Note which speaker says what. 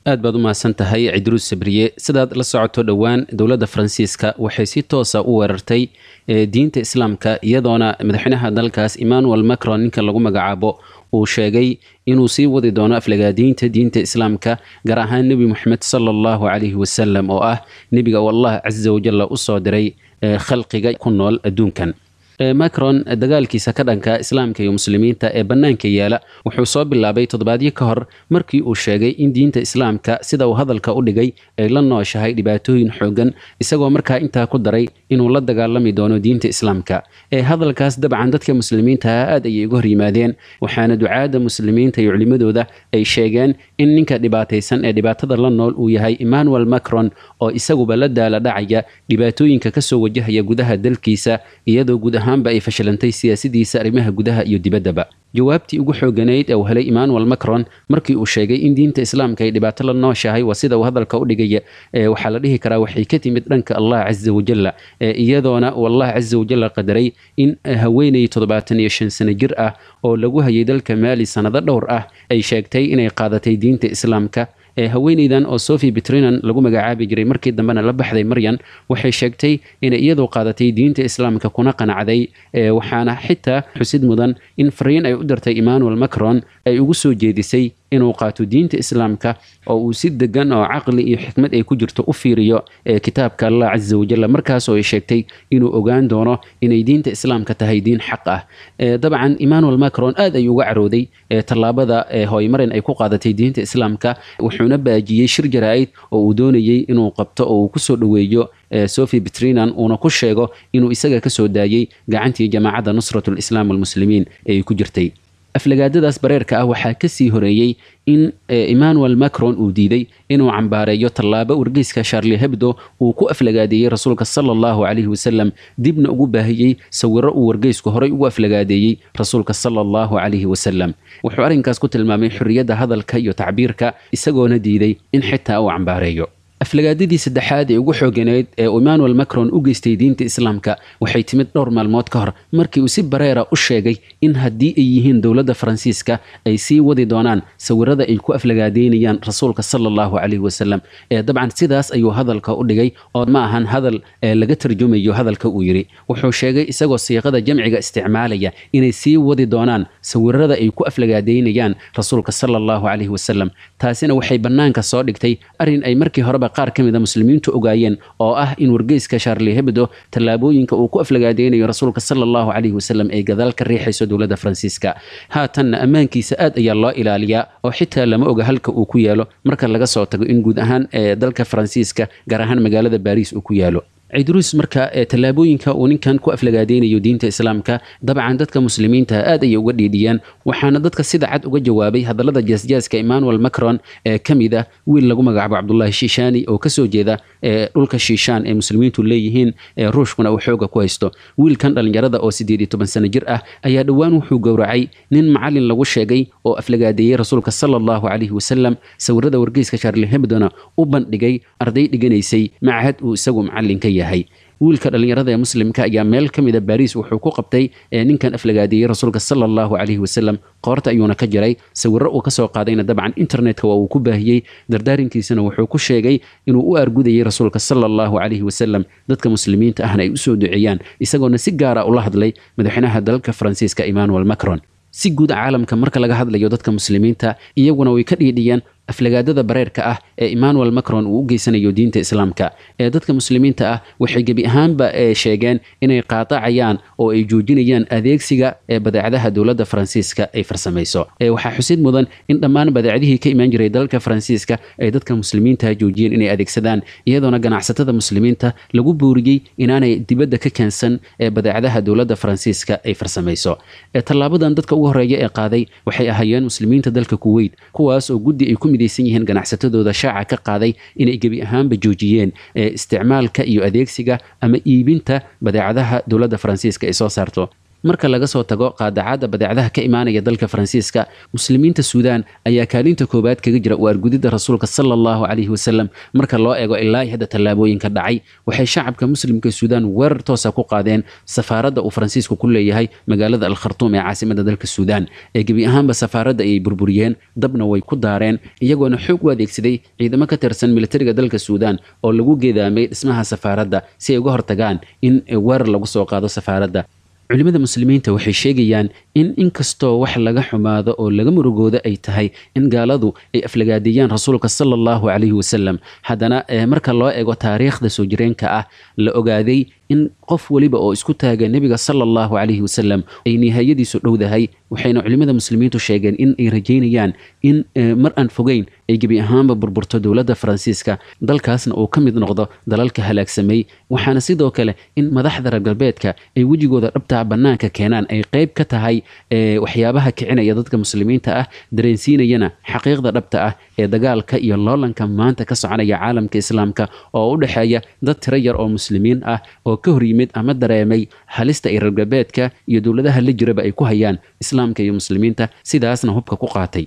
Speaker 1: Aad baad u mahadsan tahay, Cidruus Sabriye. Sidaad la socoto, dhowaan dowladda Faransiiska waxay si toosa u weerartay diinta Islaamka, iyadoona madaxweynaha dalkaas Emmanuel Macron ninka lagu magacaabo uu sheegay inuu sii wadi doono aflagaadiinta diinta Islaamka, gaar ahaan Nebi Moxamed sala Allahu calayhi wasalam, oo ah nebiga uu Allah casa wajalla usoo diray khalqiga ku nool adduunkan. Macron dagaalkiisa ka dhanka Islaamka iyo Muslimiinta ee bannaanka yaala wuxuu soo bilaabay toddobaadyo ka hor, markii uu sheegay in diinta Islaamka, sida uu hadalka u dhigay, ay la nooshahay dhibaatooyin xoogan, isagoo markaa intaa ku daray inuu la dagaalami doono diinta Islaamka. Ee hadalkaas dabcan dadka Muslimiinta ah aad ayay uga hor yimaadeen, waxaana ducaadda Muslimiinta iyo culimadooda ay sheegeen in ninka dhibaataysan ee dhibaatada la nool uu yahay Emmanuel Macron, oo isaguba la daala dhacaya dhibaatooyinka kasoo wajahaya gudaha dalkiisa, iyadoo guud ahaanba ay fashilantay siyaasadiisa arrimaha gudaha iyo dibaddaba. Jawaabtii ugu xooganayd ee uu helay Emmanuel Macron markii uu sheegay in diinta Islaamka ay dhibaato la nooshahay, waa sida uu hadalka u dhigaya, waxaa la dhihi karaa waxay ka timid dhanka Allah casa wajalla, iyadoona uu Allah casa wajalla qadaray in haweeney 75 sano jir ah oo lagu hayay dalka Maali sanado dhowr ah ay sheegtay inay qaadatay diinta Islaamka. Haweeneydan oo Sophie Petrinan lagu magacaabi jiray, markii dambena la baxday Maryan, waxay sheegtay inay iyadu qaadatay diinta Islaamka kuna qanacday. Waxaana xitaa xusid mudan in fariin ay u dirtay Emmanuel Macron ay ugu soo jeedisay inuu qaato diinta Islaamka oo uu si degan oo caqli iyo xikmad ay ku jirto u fiiriyo kitaabka Allah casa wajalla, markaasoo ay sheegtay inuu ogaan doono inay diinta Islaamka tahay diin xaq ah. Dabcan Emmanuel Macron aad ayuu uga carooday tallaabada hooymarin ay ku qaadatay diinta Islaamka, wuxuuna baajiyey shir jaraa'id oo uu doonayey inuu qabto oo uu kusoo dhoweeyo Sophie Petrinan, uuna ku sheego inuu isaga kasoo daayey gacantii jamaacadda Nusrat Lislaam walmuslimiin ee ay ku jirtay. Aflagaadadaas bareerka ah waxaa kasii horeeyey in Emmanuel Macron uu diiday inuu cambaareeyo tallaabo wargeyska Charlie Hebdo uu ku aflagaadeeyey rasuulka sala Allahu calayhi wasalam, dibna ugu baahiyey sawiro uu wargeysku horey ugu aflagaadeeyey rasuulka sala Allahu calayhi wasalam. Wuxuu arrinkaas ku tilmaamay xorriyadda hadalka iyo tacbiirka, isagoona diiday in xitaa uu cambaareeyo. Aflagaadadii saddexaad ee ugu xooganeyd ee uu Emmanuel Macron u geystay diinta Islaamka waxay timid dhowr maalmood ka hor, markii uu si bareera u sheegay in haddii ay yihiin dowladda Faransiiska ay sii wadi doonaan sawirada ay ku aflagaadeynayaan rasuulka sala Allahu calayhi wasalam. Ee dabcan sidaas ayuu hadalka u dhigay, oo ma ahan hadal laga tarjumayo hadalka uu yidhi. Wuxuu sheegay isagoo siiqada jamciga isticmaalaya inay sii wadi doonaan sawirada ay ku aflagaadeynayaan rasuulka sala Allahu calayhi wasalam. Taasina waxay bannaanka soo dhigtay arrin ay markii horeba qaar ka mid a Muslimiintu ogaayeen, oo ah in wargeyska Charlie Hebdo tallaabooyinka uu ku aflagaadeynayo rasuulka sala Allahu calayhi wasalam ay gadaal ka riixayso dowladda Faransiiska. Haatanna ammaankiisa aad ayaa loo ilaaliyaa, oo xitaa lama oga halka uu ku yaalo, marka laga soo tago in guud ahaan ee dalka Faransiiska, gaar ahaan magaalada Baariis, uu ku yaalo. Cidruus, marka tallaabooyinka uu ninkan ku aflagaadeynayo diinta Islaamka dabcan dadka Muslimiinta aad ayay uga dhiidhiyeen, waxaana dadka sida cad uga jawaabay hadallada jaasjaaska Emmanuel Macron ee ka mid ah wiil lagu magacaabo Cabdullaahi Shiishani, oo kasoo jeeda dhulka Shiishaan ee Muslimiintu leeyihiin ee Ruushkuna uu xooga ku haysto. Wiilkan dhallinyarada oo 18 sano jir ah ayaa dhowaan wuxuu gowracay nin macalin lagu sheegay oo aflagaadeeyey rasuulka sala Allahu calayhi wasalam, sawirada wargeyska Charlie Hebdona u bandhigay arday dhiganaysay machad uu isagu macalin ka yahay. Wiilka dhallinyarada ee Muslimka ayaa meel ka mida Baariis wuxuu ku qabtay ninkan aflagaadeeyey rasuulka sala Allahu calayhi wasalam, qoorta ayuuna ka jaray. Sawirro uu kasoo qaadayna dabcan internetka waa uu ku baahiyey. Dardaarankiisana wuxuu ku sheegay inuu u argudayay rasuulka sala Allahu calayhi wasalam, dadka Muslimiinta ahna ay usoo duceeyaan, isagoona si gaara ula hadlay madaxweynaha dalka Faransiiska Emmanuel Macron. Si guud caalamka marka laga hadlayo, dadka Muslimiinta iyaguna way ka dhiidhiyeen aflagaadada bareerka ah ee Emmanuel Macron uu u geysanayo diinta Islaamka. Ee dadka Muslimiinta ah waxay gebi ahaanba sheegeen inay qaadacayaan oo ay joojinayaan adeegsiga ee badeecadaha dowladda Faransiiska ay farsamayso. Waxaa xusid mudan in dhammaan badeecadihii ka imaan jiray dalka Faransiiska ay dadka Muslimiinta joojiyeen inay adeegsadaan, iyadoona ganacsatada Muslimiinta lagu booriyey inaanay dibadda ka keensan ee badeecadaha dowladda Faransiiska ay farsamayso. Tallaabadan dadka ugu horeeya ee qaaday waxay ahaayeen Muslimiinta dalka Kuwait, kuwaas oo guddi ay ku midaysan yihiin ganacsatadooda shaaca ka qaaday inay gebi ahaanba joojiyeen isticmaalka iyo adeegsiga ama iibinta badeecadaha dowladda Faransiiska ay soo saarto. Marka laga soo tago qaadacadda badeecadaha ka imaanaya dalka Faransiiska, muslimiinta Suudaan ayaa kaalinta koowaad kaga jira u argudidda rasuulka sala allahu calayhi wasalam. Marka loo eego ilaa hadda tallaabooyinka dhacay, waxay shacabka muslimka Suudaan weerar toosa ku qaadeen safaaradda uu Faransiisku ku leeyahay magaalada Al Khartuum ee caasimada dalka Suudaan. Ee gebi ahaanba safaaradda ayay burburiyeen, dabna way ku daareen, iyagoona xoog u adeegsaday ciidamo ka tirsan militariga dalka Suudaan oo lagu geedaamay dhismaha safaaradda si ay uga hortagaan in weerar lagu soo qaado safaaradda. Culimada muslimiinta waxay sheegayaan in inkastoo wax laga xumaado oo laga murugooda ay tahay in gaaladu ay aflagaadeeyaan rasuulka sala allahu calayhi wasalam, haddana marka loo eego taariikhda soo jireenka ah la ogaaday in qof weliba oo isku taaga nebiga sala allahu calayhi wasalam ay nihaayadiisu dhowdahay. Waxayna culimada muslimiintu sheegeen in ay rajaynayaan in mar aan fogeyn ay gebi ahaanba burburto dowladda Faransiiska, dalkaasna uu ka mid noqdo dalalka halaagsamay. Waxaana sidoo kale in madaxda reer galbeedka ay wejigooda dhabtaa bannaanka keenaan ay qayb ka tahay waxyaabaha kicinaya dadka muslimiinta ah, dareensiinayana xaqiiqda dhabta ah ee dagaalka iyo loolanka maanta ka soconaya caalamka islaamka oo u dhexeeya dad tiro yar oo muslimiin ah oo ka hor yimid ama dareemay halista ay reer galbeedka iyo dowladaha la jiraba ay ku hayaan islaamka iyo muslimiinta, sidaasna hubka ku qaatay.